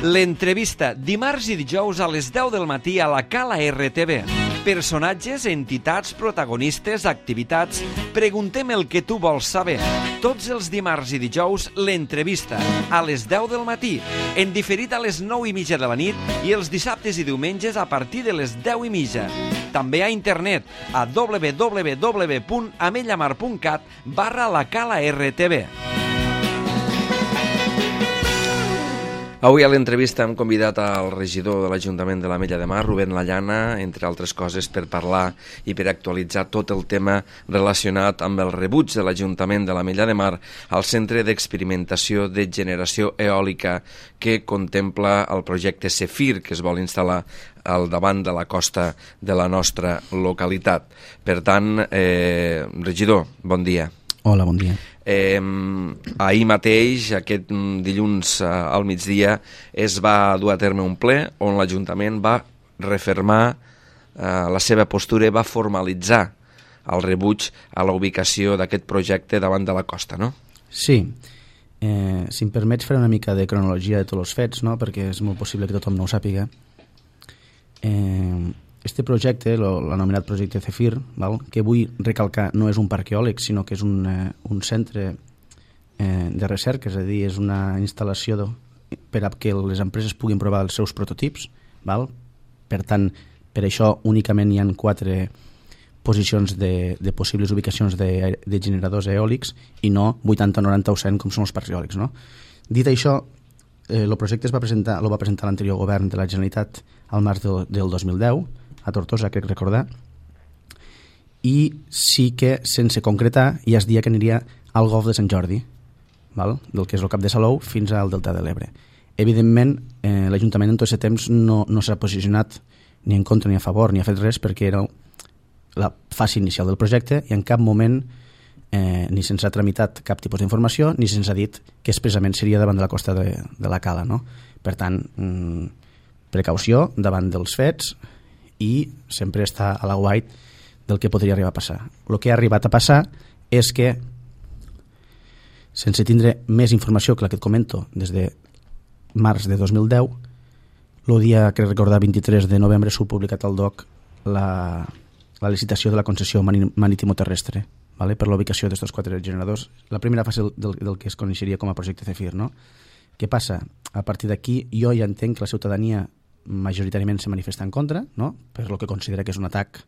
L'entrevista, dimarts i dijous a les 10 del matí a la Cala RTV. Personatges, entitats, protagonistes, activitats... Preguntem el que tu vols saber. Tots els dimarts i dijous, l'entrevista, a les 10 del matí, en diferit a les 9:30 de la nit i els dissabtes i diumenges a partir de les 10:30. També a internet, a www.amellamar.cat/la Cala RTV. Avui a l'entrevista hem convidat al regidor de l'Ajuntament de l'Ametlla de Mar, Rubén Lallana, entre altres coses per parlar i per actualitzar tot el tema relacionat amb el rebuig de l'Ajuntament de l'Ametlla de Mar al Centre d'Experimentació de Generació Eòlica que contempla el projecte Zefir, que es vol instal·lar al davant de la costa de la nostra localitat. Per tant, regidor, bon dia. Hola, bon dia. Ahir mateix, aquest dilluns al migdia, es va dur a terme un ple on l'Ajuntament va refermar la seva postura i va formalitzar el rebuig a la ubicació d'aquest projecte davant de la costa, no? Sí. Si em permets fer una mica de cronologia de tots els fets, no? Perquè és molt possible que tothom no ho sàpiga. Este projecte, l'anomenat projecte Zefir, que vull recalcar, no és un parc eòlic, sinó que és un centre de recerca, és a dir, és una instal·lació per a que les empreses puguin provar els seus prototips. Per tant, per això únicament hi ha 4 posicions de possibles ubicacions de generadors eòlics i no 80, 90 o 100 com són els parcs eòlics. No? Dit això, el projecte lo va presentar l'anterior govern de la Generalitat al març del 2010, a Tortosa, crec recordar, i sí que, sense concretar, ja es dia que aniria al Golf de Sant Jordi, del que és el Cap de Salou, fins al Delta de l'Ebre. Evidentment, l'Ajuntament en tot aquest temps no s'ha posicionat ni en contra ni a favor, ni ha fet res, perquè era la fase inicial del projecte i en cap moment ni se'ns ha tramitat cap tipus d'informació ni se'ns ha dit que expressament seria davant de la costa de la Cala. No? Per tant, precaució davant dels fets i sempre està a l'aguait del que podria arribar a passar. El que ha arribat a passar és que, sense tindre més informació que la que et comento des de març de 2010, el dia, crec recordar, 23 de novembre s'ha publicat al DOC la licitació de la concessió marítimo-terrestre per l'ubicació d'aquests 4 generadors. La primera fase del que es coneixeria com a projecte Zefir. No? Què passa? A partir d'aquí jo ja entenc que la ciutadania majoritàriament se manifesta en contra, no? Per lo que considera que és un atac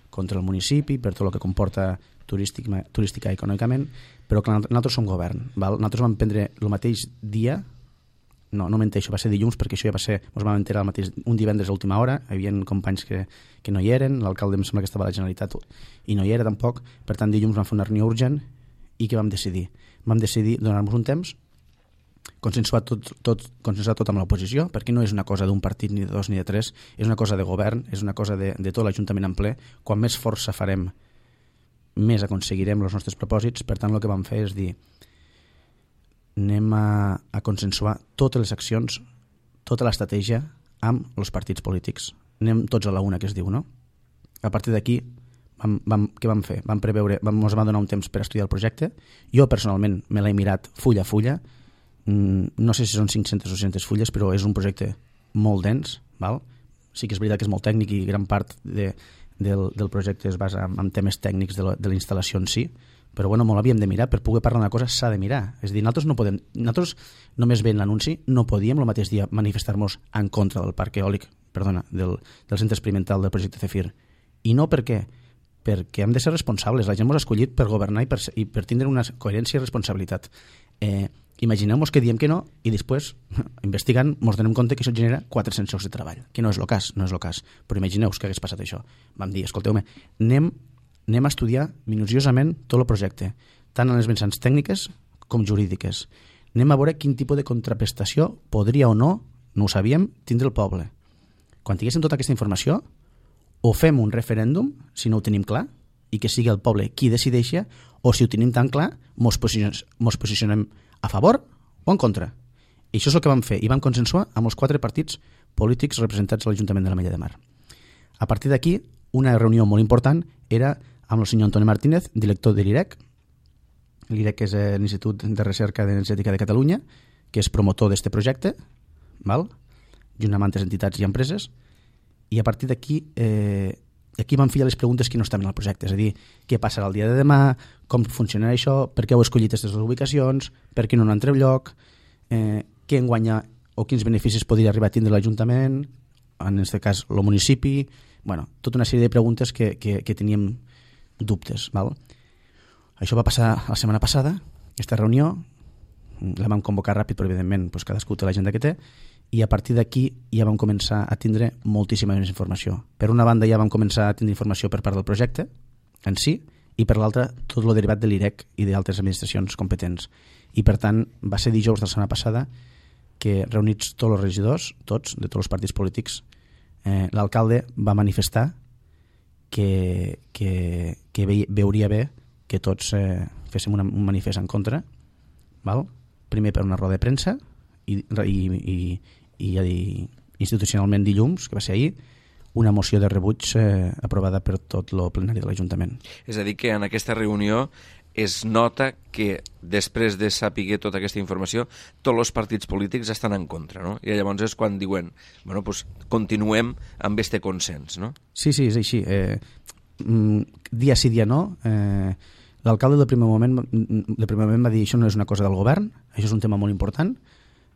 contra el municipi, per tot el que comporta turística i econòmicament, però que nosaltres som govern. Nosaltres vam prendre el mateix dia, no menteixo, va ser dilluns, perquè això ja va ser, ens vam enterar un divendres a última hora, hi havia companys que no hi eren, l'alcalde em sembla que estava a la Generalitat i no hi era tampoc, per tant dilluns vam fer una reunió urgent i què vam decidir? Vam decidir donar-nos un temps, consensuar tot amb l'oposició, perquè no és una cosa d'un partit ni de 2 ni de 3, és una cosa de govern, és una cosa de tot l'Ajuntament en ple. Quan més força farem, més aconseguirem els nostres propòsits. Per tant, el que vam fer és dir anem a consensuar totes les accions, tota l'estratègia amb els partits polítics. Anem tots a la una, que es diu, no? A partir d'aquí, què vam fer? Ens va donar un temps per estudiar el projecte. Jo, personalment, me l'he mirat full a fulla. No sé si són 500 o 600 fulles, però és un projecte molt dens. Sí que és veritat que és molt tècnic i gran part del projecte es basa en temes tècnics de la instal·lació en si, però bueno, molt l'havíem de mirar. Per poder parlar d'una cosa s'ha de mirar. És a dir, nosaltres només veient l'anunci no podíem el mateix dia manifestar-nos en contra del parc eòlic, del centre experimental del projecte Zefir. I no per què? Perquè hem de ser responsables. La gent ens ha escollit per governar i per tindre una coherència i responsabilitat. Imagineu-vos que diem que no i després, investigant, ens donem compte que això genera 400 llocs de treball, que no és el cas, però imagineu-vos que hagués passat això. Vam dir, escolteu-me, anem a estudiar minuciosament tot el projecte, tant en les vessants tècniques com jurídiques. Anem a veure quin tipus de contraprestació podria o no ho sabíem, tindre el poble. Quan tinguéssim tota aquesta informació, o fem un referèndum, si no ho tenim clar, i que sigui el poble qui decideixi, o si ho tenim tan clar, mos posicionem a favor o en contra. I això és el que vam fer, i vam consensuar amb els 4 partits polítics representats a l'Ajuntament de l'Ametlla de Mar. A partir d'aquí, una reunió molt important era amb el senyor Antoni Martínez, director de l'IREC. L'IREC és l'Institut de Recerca d'Energètica de Catalunya, que és promotor d'aquest projecte, junt amb altres entitats i empreses, i a partir d'aquí aquí vam filar les preguntes que no estaven al projecte, és a dir, què passarà el dia de demà, com funcionarà això, per què heu escollit aquestes ubicacions, per què no n'han tret lloc, què en guanya o quins beneficis podria arribar a tindre l'Ajuntament, en aquest cas el municipi, bueno, tota una sèrie de preguntes que teníem dubtes. Val? Això va passar la setmana passada, aquesta reunió, la vam convocar ràpid, però evidentment doncs, cadascú té l'agenda que té, i a partir d'aquí ja vam començar a tindre moltíssima més informació. Per una banda ja vam començar a tindre informació per part del projecte en si, i per l'altra tot el derivat de l'IREC i d'altres administracions competents. I per tant va ser dijous de la setmana passada que reunits tots els regidors, tots, de tots els partits polítics, l'alcalde va manifestar que veuria bé que tots féssim un manifest en contra, val? Primer per una roda de premsa i institucionalment dilluns, que va ser ahir, una moció de rebuig aprovada per tot el plenari de l'Ajuntament. És a dir, que en aquesta reunió es nota que després de saber tota aquesta informació tots els partits polítics estan en contra, no? I llavors és quan diuen, bueno, pues continuem amb este consens, no? Sí, és així. Dia sí, dia no. L'alcalde del primer moment va dir això no és una cosa del govern, això és un tema molt important,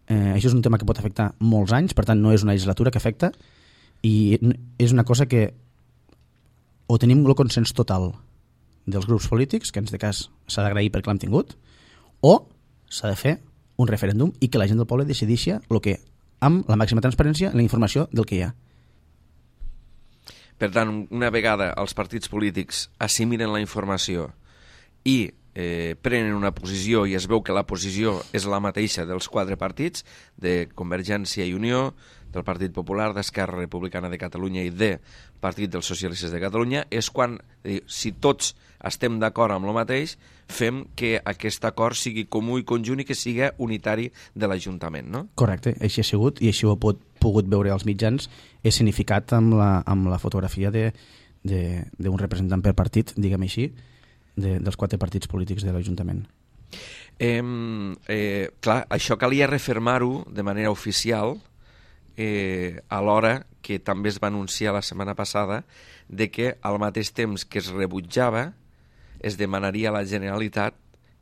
això és un tema que pot afectar molts anys, per tant no és una legislatura que afecta, i és una cosa que o tenim el consens total dels grups polítics, que en aquest cas s'ha d'agrair perquè l'hem tingut, o s'ha de fer un referèndum i que la gent del poble decideixi el que, amb la màxima transparència, la informació del que hi ha. Per tant, una vegada els partits polítics assimilen la informació i prenen una posició i es veu que la posició és la mateixa dels 4 partits, de Convergència i Unió, del Partit Popular, d'Esquerra Republicana de Catalunya i del Partit dels Socialistes de Catalunya, és quan, si tots estem d'acord amb el mateix, fem que aquest acord sigui comú i conjunt i que sigui unitari de l'Ajuntament, no? Correcte, així ha sigut i així ho he pogut veure als mitjans, és significat amb la fotografia d'un representant per partit, diguem així, dels 4 partits polítics de l'Ajuntament. Clar, això calia refermar-ho de manera oficial alhora que també es va anunciar la setmana passada de que al mateix temps que es rebutjava es demanaria a la Generalitat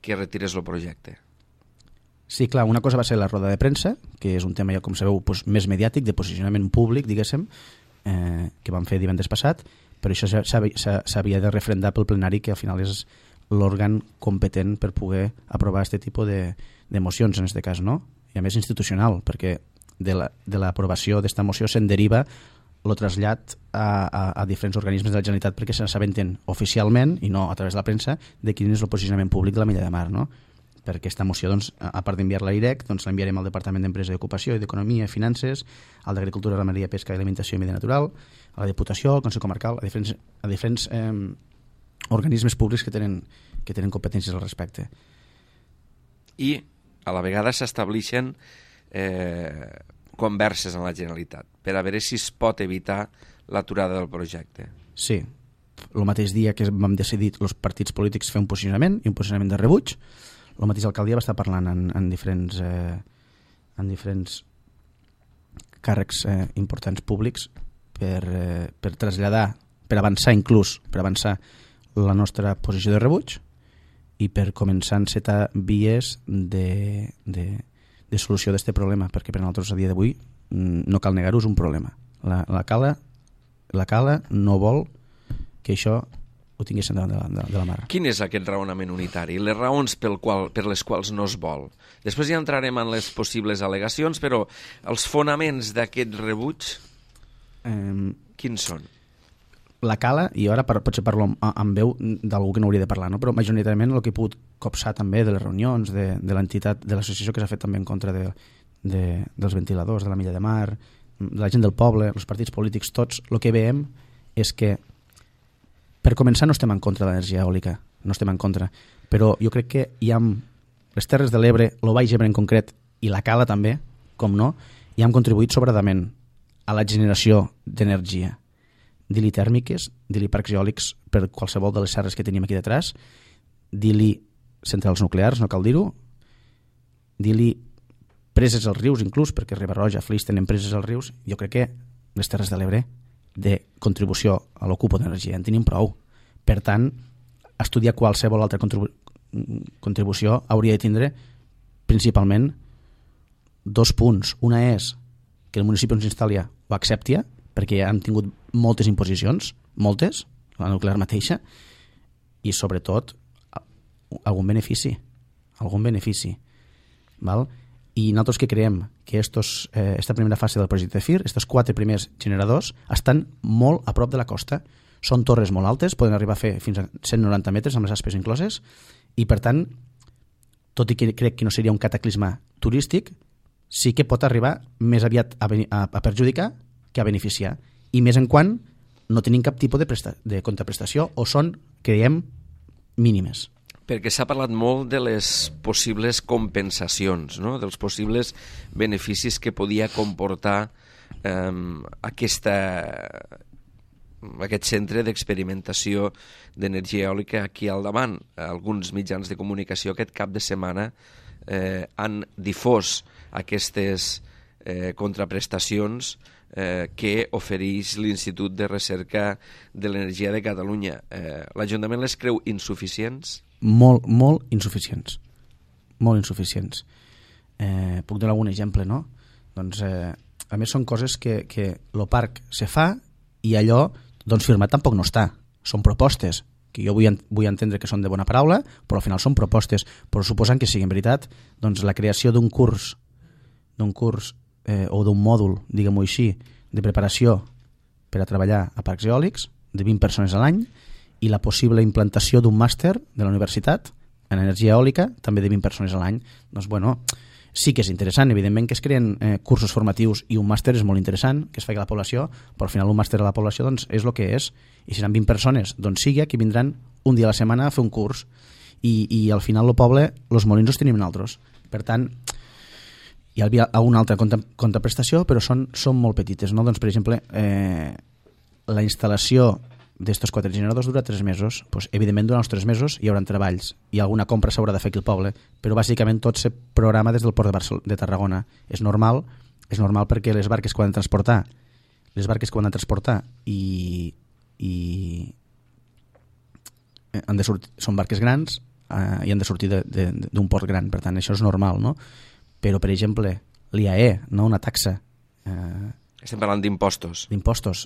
que retirés el projecte. Sí, clar, una cosa va ser la roda de premsa, que és un tema, ja com sabeu, doncs, més mediàtic, de posicionament públic, diguéssim, que vam fer divendres passat, però això s'havia de refrendar pel plenari, que al final és l'òrgan competent per poder aprovar aquest tipus de mocions, en aquest cas, no? I a més institucional, perquè de l'aprovació d'esta moció se'n deriva el trasllat a diferents organismes de la Generalitat perquè se n'assabenten oficialment, i no a través de la premsa, de quin és el posicionament públic de l'Ametlla de Mar, no? Per aquesta moció, doncs, a part d'enviar-la a l'IREC, doncs l'enviarem al Departament d'Empresa i Ocupació i d'Economia i Finances, al d'Agricultura, Ramaderia, Pesca, Alimentació i Medi Natural, a la Diputació, al Consell Comarcal, a diferents organismes públics que tenen competències al respecte. I a la vegada s'estableixen converses en la Generalitat per a veure si es pot evitar l'aturada del projecte. Sí, el mateix dia que vam decidir els partits polítics fer un posicionament i un posicionament de rebuig, el mateix alcaldia va estar parlant en diferents càrrecs importants públics per traslladar, per avançar la nostra posició de rebuig i per començar a encetar vies de solució d'aquest problema, perquè per nosaltres a dia d'avui no cal negar-ho, és un problema. La Cala no vol que això ho tinguessin davant de la mar. Quin és aquest raonament unitari? Les raons per les quals no es vol? Després ja entrarem en les possibles al·legacions, però els fonaments d'aquest rebuig, quins són? La Cala, i ara potser parlo amb veu d'algú que no hauria de parlar, no? Però majoritàriament el que he pogut copsar també de les reunions, de l'entitat, de l'associació que s'ha fet també en contra dels ventiladors, de l'Ametlla de Mar, de la gent del poble, els partits polítics, tots, el que veiem és que per començar no estem en contra de l'energia eòlica, no estem en contra, però jo crec que hi ha les Terres de l'Ebre, el Baix Ebre en concret, i la Cala també, com no, hi han contribuït sobradament a la generació d'energia, dir-li tèrmiques, dir-li parcs eòlics per qualsevol de les serres que tenim aquí detrás, dir-li centrals nuclears, no cal dir-ho, dir-li empreses als rius inclús, perquè Riba-roja, Flix tenen empreses als rius, jo crec que les Terres de l'Ebre de contribució a l'ocupo d'energia en tenim prou. Per tant, estudiar qualsevol altra contribució hauria de tindre principalment 2 punts. Una és que el municipi on s'instal·li ho accepti, perquè ja hem tingut moltes imposicions, moltes, la nuclear mateixa, i sobretot algun benefici. Val? I nosaltres que creiem que esta primera fase del projecte FIR, aquests 4 primers generadors, estan molt a prop de la costa. Són torres molt altes, poden arribar a fer fins a 190 metres amb les aspes incloses, i per tant, tot i que crec que no seria un cataclisme turístic, sí que pot arribar més aviat a perjudicar que a beneficiar, i més en quan no tenim cap tipus de contraprestació o són, creiem, mínimes. Perquè s'ha parlat molt de les possibles compensacions, no? Dels possibles beneficis que podia comportar aquest centre d'experimentació d'energia eòlica aquí al davant. Alguns mitjans de comunicació aquest cap de setmana han difós aquestes contraprestacions que ofereix l'Institut de Recerca de l'Energia de Catalunya. L'Ajuntament les creu insuficients? Molt insuficients. Molt insuficients. Puc donar algun exemple, no? Doncs, a més, són coses que el parc se fa i allò doncs, firmat tampoc no està. Són propostes, que jo vull entendre que són de bona paraula, però al final són propostes. Però suposant que siguin veritat, doncs la creació d'un curs o d'un mòdul, diguem-ho així, de preparació per a treballar a parcs eòlics, de 20 persones a l'any, i la possible implantació d'un màster de la universitat en energia eòlica, també de 20 persones a l'any. Doncs, bueno, sí que és interessant. Evidentment que es creen cursos formatius i un màster és molt interessant, que es faci a la població, però al final un màster a la població doncs, és el que és. I si seran 20 persones, doncs sigui que vindran un dia a la setmana a fer un curs. I al final el poble, els molins els tenim nosaltres. Per tant, hi havia una altra contraprestació, però són molt petites, no? Doncs, per exemple, la instal·lació d'estos 4 generadors dura 3 mesos. Pues, evidentment, durant els 3 mesos hi haurà treballs i alguna compra s'haurà de fer aquí al poble, però bàsicament tot se programa des del port de Tarragona. És normal perquè les barques que ho han de transportar i han de sortir, són barques grans i han de sortir d'un port gran, per tant això és normal, no? Però, per exemple, l'IAE, no? Una taxa. Estem parlant d'impostos.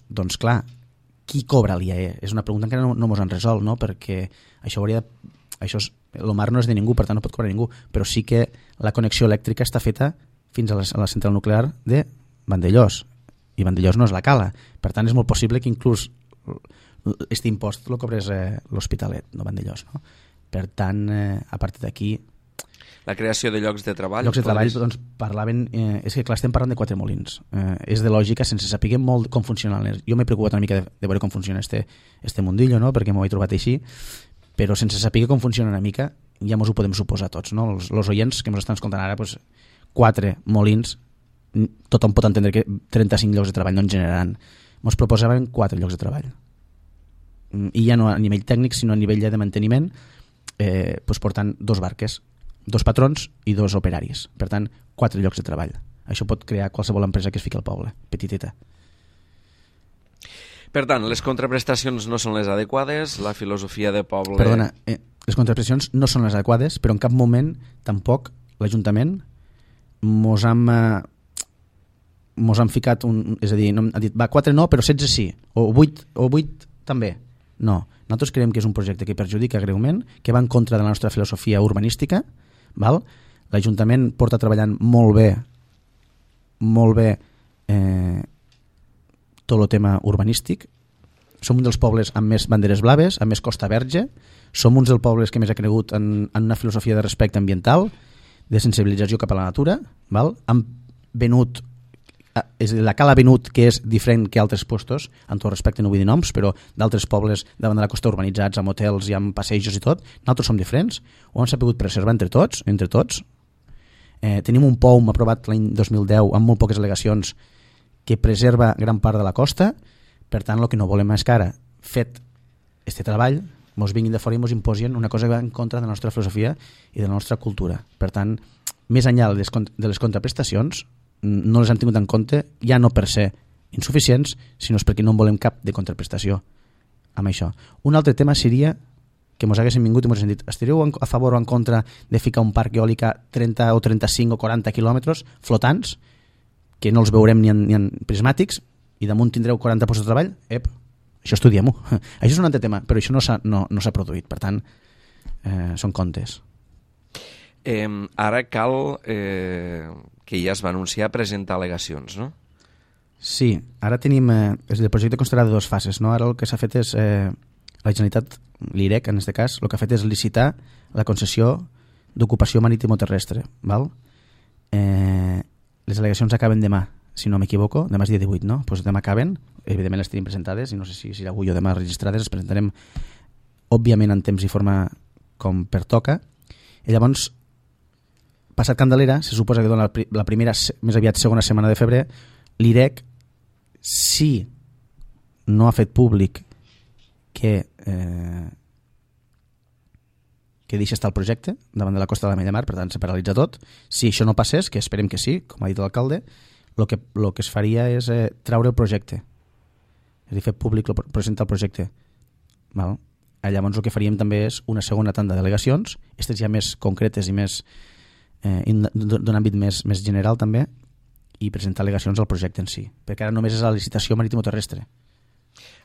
Doncs clar, qui cobra l'IAE? És una pregunta que encara no mos han resolt, no? Perquè el mar no és de ningú, per tant no pot cobrar ningú, però sí que la connexió elèctrica està feta fins a la central nuclear de Vandellós, i Vandellós no és la Cala. Per tant, és molt possible que inclús aquest impost el cobrés l'Hospitalet, no Vandellós, no? Per tant, a partir d'aquí... La creació de llocs de treball... Doncs parlaven... és que clar, estem parlant de 4 molins. És de lògica, sense saber molt com funcionen. Jo m'he preocupat una mica de veure com funciona este mundillo, no? Perquè m'ho he trobat així, però sense saber com funciona una mica ja ens ho podem suposar tots, no? Els oients que ens estan escoltant ara, doncs, 4 molins, tothom pot entendre que 35 llocs de treball no en generaran. Ens proposaven 4 llocs de treball. I ja no a nivell tècnic, sinó a nivell de manteniment, doncs portant 2 barques, 2 patrons i 2 operaris. Per tant, 4 llocs de treball. Això pot crear qualsevol empresa que es fiqui al poble, petiteta. Per tant, les contraprestacions no són les adequades, la filosofia de poble... Perdona, les contraprestacions no són les adequades, però en cap moment tampoc l'Ajuntament mos han ficat és a dir, ha dit, va, 4 no, però 16 sí, o 8 també. No, nosaltres creiem que és un projecte que perjudica greument, que va en contra de la nostra filosofia urbanística, val? L'Ajuntament porta treballant molt bé tot el tema urbanístic. Som un dels pobles amb més banderes blaves, amb més Costa Verge, som uns dels pobles que més ha cregut en una filosofia de respecte ambiental, de sensibilització cap a la natura, val? Han venut, és a dir, la Cala ha venut, que és diferent que altres puestos, amb tot respecte no vull dir noms, però d'altres pobles davant de la costa urbanitzats, amb hotels i amb passejos i tot, nosaltres som diferents, ho hem sabut preservar entre tots. Tenim un POUM aprovat l'any 2010 amb molt poques al·legacions que preserva gran part de la costa. Per tant, el que no volem és que ara, fet este treball, ens vinguin de fora i ens imposin una cosa que va en contra de la nostra filosofia i de la nostra cultura. Per tant, més enllà de les contraprestacions, no les han tingut en compte, ja no per ser insuficients, sinó perquè no en volem cap de contraprestació amb això. Un altre tema seria que mos haguessin vingut i mos haguessin dit estaríeu a favor o en contra de ficar un parc eòlic a 30 o 35 o 40 quilòmetres flotants, que no els veurem ni en prismàtics, i damunt tindreu 40 postos de treball? Això estudiem-ho. Això és un altre tema, però això no s'ha produït. Per tant, són contes. Ara cal, que ja es va anunciar, presentar al·legacions, no? Sí, ara tenim... el projecte constarà de dues fases, no? Ara el que s'ha fet és... la Generalitat, l'IREC en aquest cas, el que ha fet és licitar la concessió d'ocupació marítimo-terrestre. Val? Les al·legacions acaben demà, si no m'equivoco, demà és dia 18, no? Doncs demà acaben, evidentment les tenim presentades i no sé si serà avui o demà registrades, les presentarem òbviament en temps i forma com pertoca. I llavors, passat Candelera, se suposa que dona la primera, més aviat segona setmana de febrer, l'IREC, si no ha fet públic que deixa estar el projecte davant de la costa de la Mar, per tant se paralitza tot. Si això no passés, que esperem que sí, com ha dit l'alcalde, el que es faria és traure el projecte, és a dir, fer públic, presentar el projecte. Val? Llavors el que faríem també és una segona tanda d'al·legacions, aquestes ja més concretes i més d'un àmbit més general també, i presentar al·legacions al projecte en si, perquè ara només és la licitació marítimo-terrestre.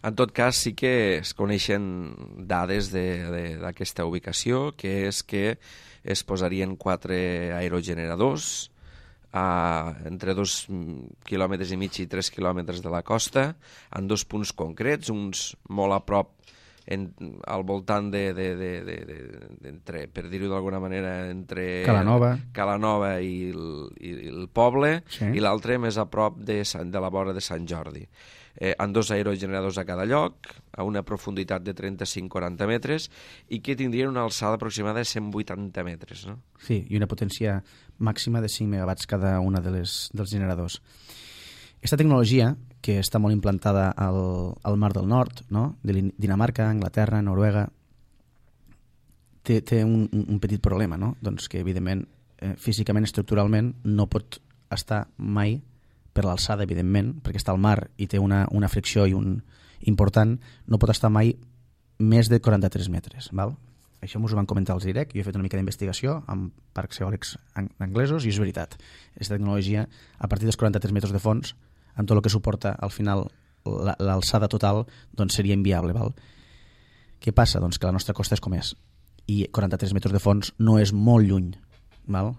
En tot cas, sí que es coneixen dades d'aquesta ubicació, que és que es posarien 4 aerogeneradors entre 2,5 quilòmetres i 3 quilòmetres de la costa, en 2 punts concrets, uns molt a prop al voltant per dir-ho d'alguna manera, entre Calanova i el poble, sí. I l'altre més a prop de la vora de Sant Jordi. En 2 aerogeneradors a cada lloc, a una profunditat de 35-40 metres, i que tindrien una alçada aproximada de 180 metres. No? Sí, i una potència màxima de 5 megawatts cada una dels generadors. Aquesta tecnologia, que està molt implantada al Mar del Nord, no? De Dinamarca, Anglaterra, Noruega, té un petit problema, no? Doncs que, evidentment, físicament, estructuralment, no pot estar mai per l'alçada, evidentment, perquè està al mar i té una fricció important, no pot estar mai més de 43 metres. Val? Això m'ho van comentar els IREC, jo he fet una mica d'investigació amb parcs eòlics anglesos i és veritat. Aquesta tecnologia, a partir dels 43 metres de fons, amb tot el que suporta al final l'alçada total, doncs seria inviable. Val? Què passa? Doncs que la nostra costa és com és, i 43 metres de fons no és molt lluny, val?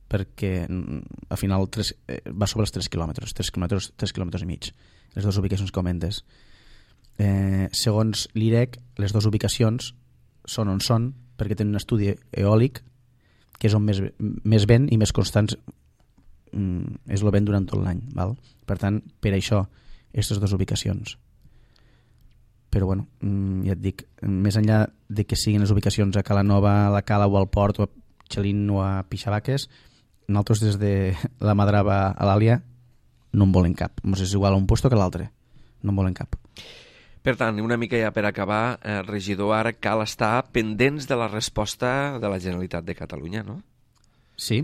Perquè al final va sobre els 3 quilòmetres, 3 quilòmetres i mig, les dues ubicacions que comentes. Segons l'IREC, les dues ubicacions són on són perquè tenen un estudi eòlic que és on més vent i més constants és el vent durant tot l'any. Val? Per tant, per això, aquestes dues ubicacions. Però bueno, ja et dic, més enllà de que siguin les ubicacions a Calanova, a la Cala o al Port, o a Xalín o a Pixabaques, nosaltres des de la Madrava a l'Àlia no en volen cap. Ens és igual a un puesto que a l'altre. No en volen cap. Per tant, una mica ja per acabar, regidor, ara cal estar pendents de la resposta de la Generalitat de Catalunya, no? Sí.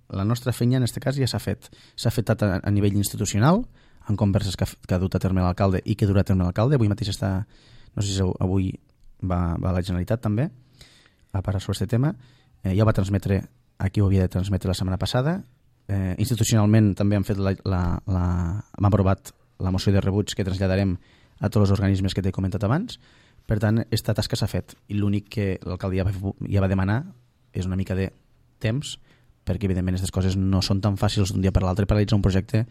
La nostra feina en aquest cas ja s'ha fet. S'ha fet a nivell institucional, en converses que ha dut a terme l'alcalde i que durà a terme l'alcalde. Avui mateix està, no sé si avui va a la Generalitat també, a parlar sobre aquest tema. Ja ho va transmetre, aquí ho havia de transmetre la setmana passada. Institucionalment també han fet hem aprovat la moció de rebuig que traslladarem a tots els organismes que t'he comentat abans. Per tant, aquesta tasca s'ha fet i l'únic que l'alcalde ja va demanar és una mica de temps, perquè evidentment aquestes coses no són tan fàcils d'un dia per l'altre paralitzar un projecte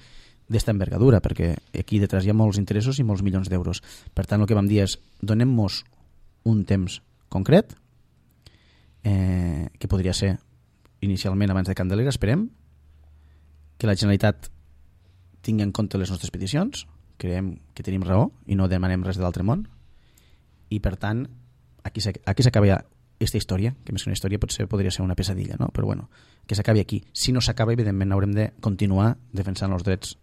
d'esta envergadura, perquè aquí detrás hi ha molts interessos i molts milions d'euros. Per tant, el que vam dir és donem-nos un temps concret, que podria ser inicialment abans de Candelera, esperem que la Generalitat tingui en compte les nostres peticions, creiem que tenim raó i no demanem res de l'altre món, i per tant aquí s'acaba ja aquesta història, que més que una història podria ser una pesadilla, no? Però bueno, que s'acabi aquí. Si no s'acaba, evidentment haurem de continuar defensant els drets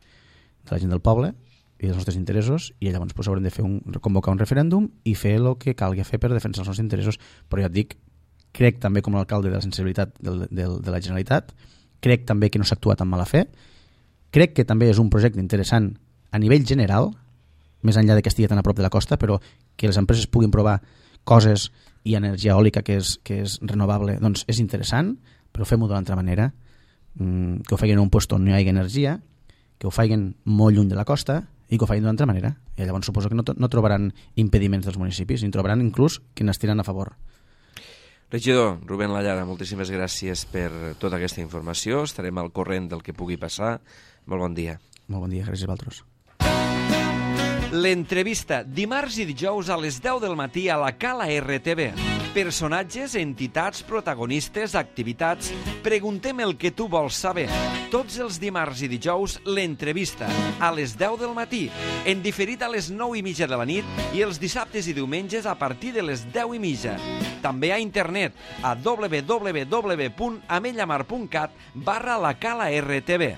de la gent del poble i dels nostres interessos, i llavors pues, haurem de convocar un referèndum i fer el que calgui fer per defensar els nostres interessos. Però ja et dic, crec també com a alcalde de la sensibilitat de la Generalitat, crec també que no s'ha actuat amb mala fe, crec que també és un projecte interessant a nivell general, més enllà que estigui tan a prop de la costa, però que les empreses puguin provar coses i energia eòlica que és renovable, doncs és interessant, però fem-ho d'una altra manera, que ho facin en un lloc on no hi hagi energia, que ho facin molt lluny de la costa i que ho facin d'una altra manera. I llavors suposo que no trobaran impediments dels municipis, i en trobaran inclús que n'estiran a favor. Regidor Rubén Lallara, moltíssimes gràcies per tota aquesta informació. Estarem al corrent del que pugui passar. Molt bon dia. Molt bon dia, gràcies a vosaltres. L'entrevista, dimarts i dijous a les 10 del matí a la Cala RTV. Personatges, entitats, protagonistes, activitats. Preguntem el que tu vols saber. Tots els dimarts i dijous, l'entrevista, a les 10 del matí, en diferit a les 9:30 de la nit i els dissabtes i diumenges a partir de les 10:30. També a internet a www.amellamar.cat/la Cala RTV.